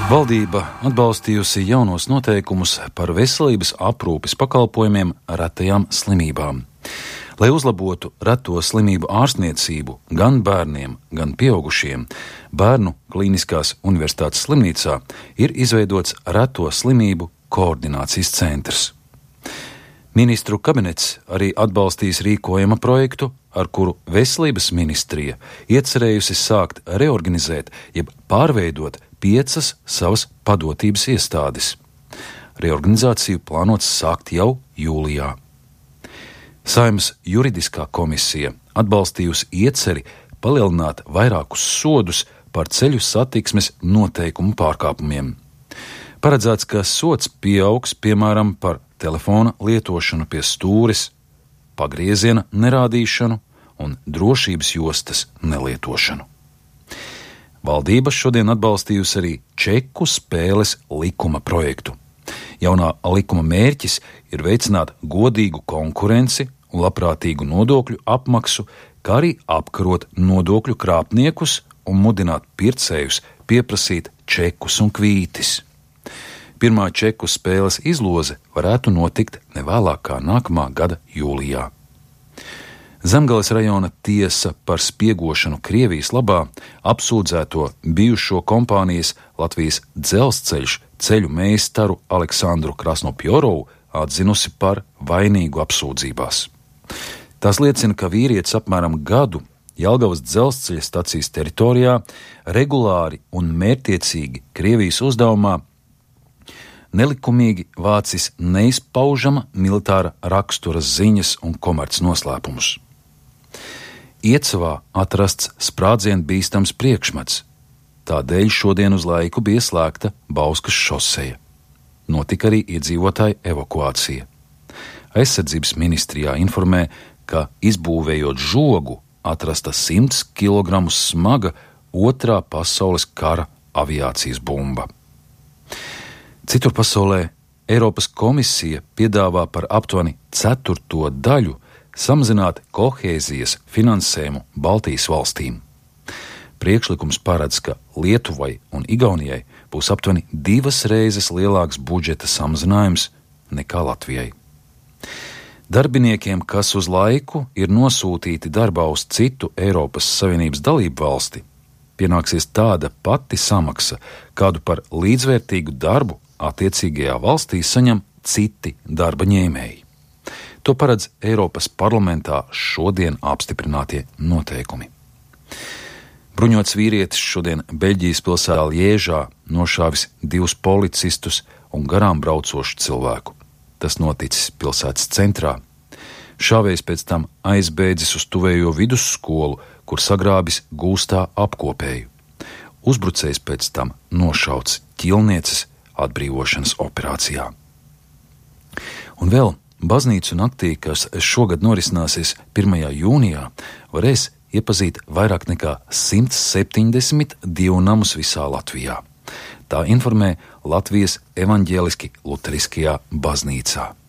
Valdība atbalstījusi jaunos noteikumus par veselības aprūpes pakalpojumiem retajām slimībām. Lai uzlabotu reto slimību ārstniecību gan bērniem, gan pieaugušiem, Bērnu Kliniskās Universitātes slimnīcā ir izveidots reto slimību koordinācijas centrs. Ministru kabinets arī atbalstīs rīkojuma projektu, ar kuru Veselības ministrija iecerējusi sākt reorganizēt, jeb pārveidot 5 savas padotības iestādes. Reorganizāciju plānots sākt jau jūlijā. Saeimas juridiskā komisija atbalstījusi ieceri palielināt vairākus sodus par ceļu satiksmes noteikumu pārkāpumiem. Paredzēts, ka sods pieaugs piemēram par telefona lietošanu pie stūres, pagrieziena nerādīšanu un drošības jostas nelietošanu. Valdība šodien atbalstījusi arī čeku spēles likuma projektu. Jaunā likuma mērķis ir veicināt godīgu konkurenci un labprātīgu nodokļu apmaksu, kā arī apkarot nodokļu krāpniekus un mudināt pircējus pieprasīt čekus un kvītis. Pirmā čeku spēles izloze varētu notikt nevēlāk kā nākamā gada jūlijā. Zemgales rajona tiesa par spiegošanu Krievijas labā apsūdzēto bijušo kompānijas Latvijas Dzelzceļš ceļu meistaru Aleksandru Krasnopjorovu atzinusi par vainīgu apsūdzībās. Tās liecina, ka vīrietis apmēram gadu Jelgavas dzelzceļa stacijas teritorijā regulāri un mērķtiecīgi Krievijas uzdevumā nelikumīgi vācis neizpaužama militāra rakstura ziņas un komercnoslēpumus. Iecavā atrasts sprādzienu bīstams priekšmets, tādēļ šodien uz laiku bija slēgta Bauskas šoseja. Notika arī iedzīvotāju evakuācija. Aizsardzības ministrijā informē, ka izbūvējot žogu atrasta 100 kg smaga Otrā pasaules kara aviācijas bumba. Citur pasaulē Eiropas komisija piedāvā par aptuveni 1/4 daļu samazināt kohēzijas finansējumu Baltijas valstīm. Priekšlikums paredz, ka Lietuvai un Igaunijai būs aptuveni 2 reizes lielāks budžeta samazinājums nekā Latvijai. Darbiniekiem, kas uz laiku ir nosūtīti darbā uz citu Eiropas Savienības dalību valsti, pienāksies tāda pati samaksa, kādu par līdzvērtīgu darbu attiecīgajā valstī saņem citi darba ņēmēji. To paredz Eiropas parlamentā šodien apstiprinātie noteikumi. Bruņots vīrietis šodien Beļģijas pilsētā Liežā nošāvis 2 policistus un garām braucošu cilvēku. Tas noticis pilsētas centrā. Šāvējs pēc tam aizbēdzis uz tuvējo vidusskolu, kur sagrābis gūstā apkopēju. Uzbrucējs pēc tam nošauts ķilnieces atbrīvošanas operācijā. Un vēl baznīcu naktī, kas šogad norisināsies 1. jūnijā, varēs iepazīt vairāk nekā 172 namus visā Latvijā. Tā informē Latvijas evaņģēliski luteriskajā baznīcā.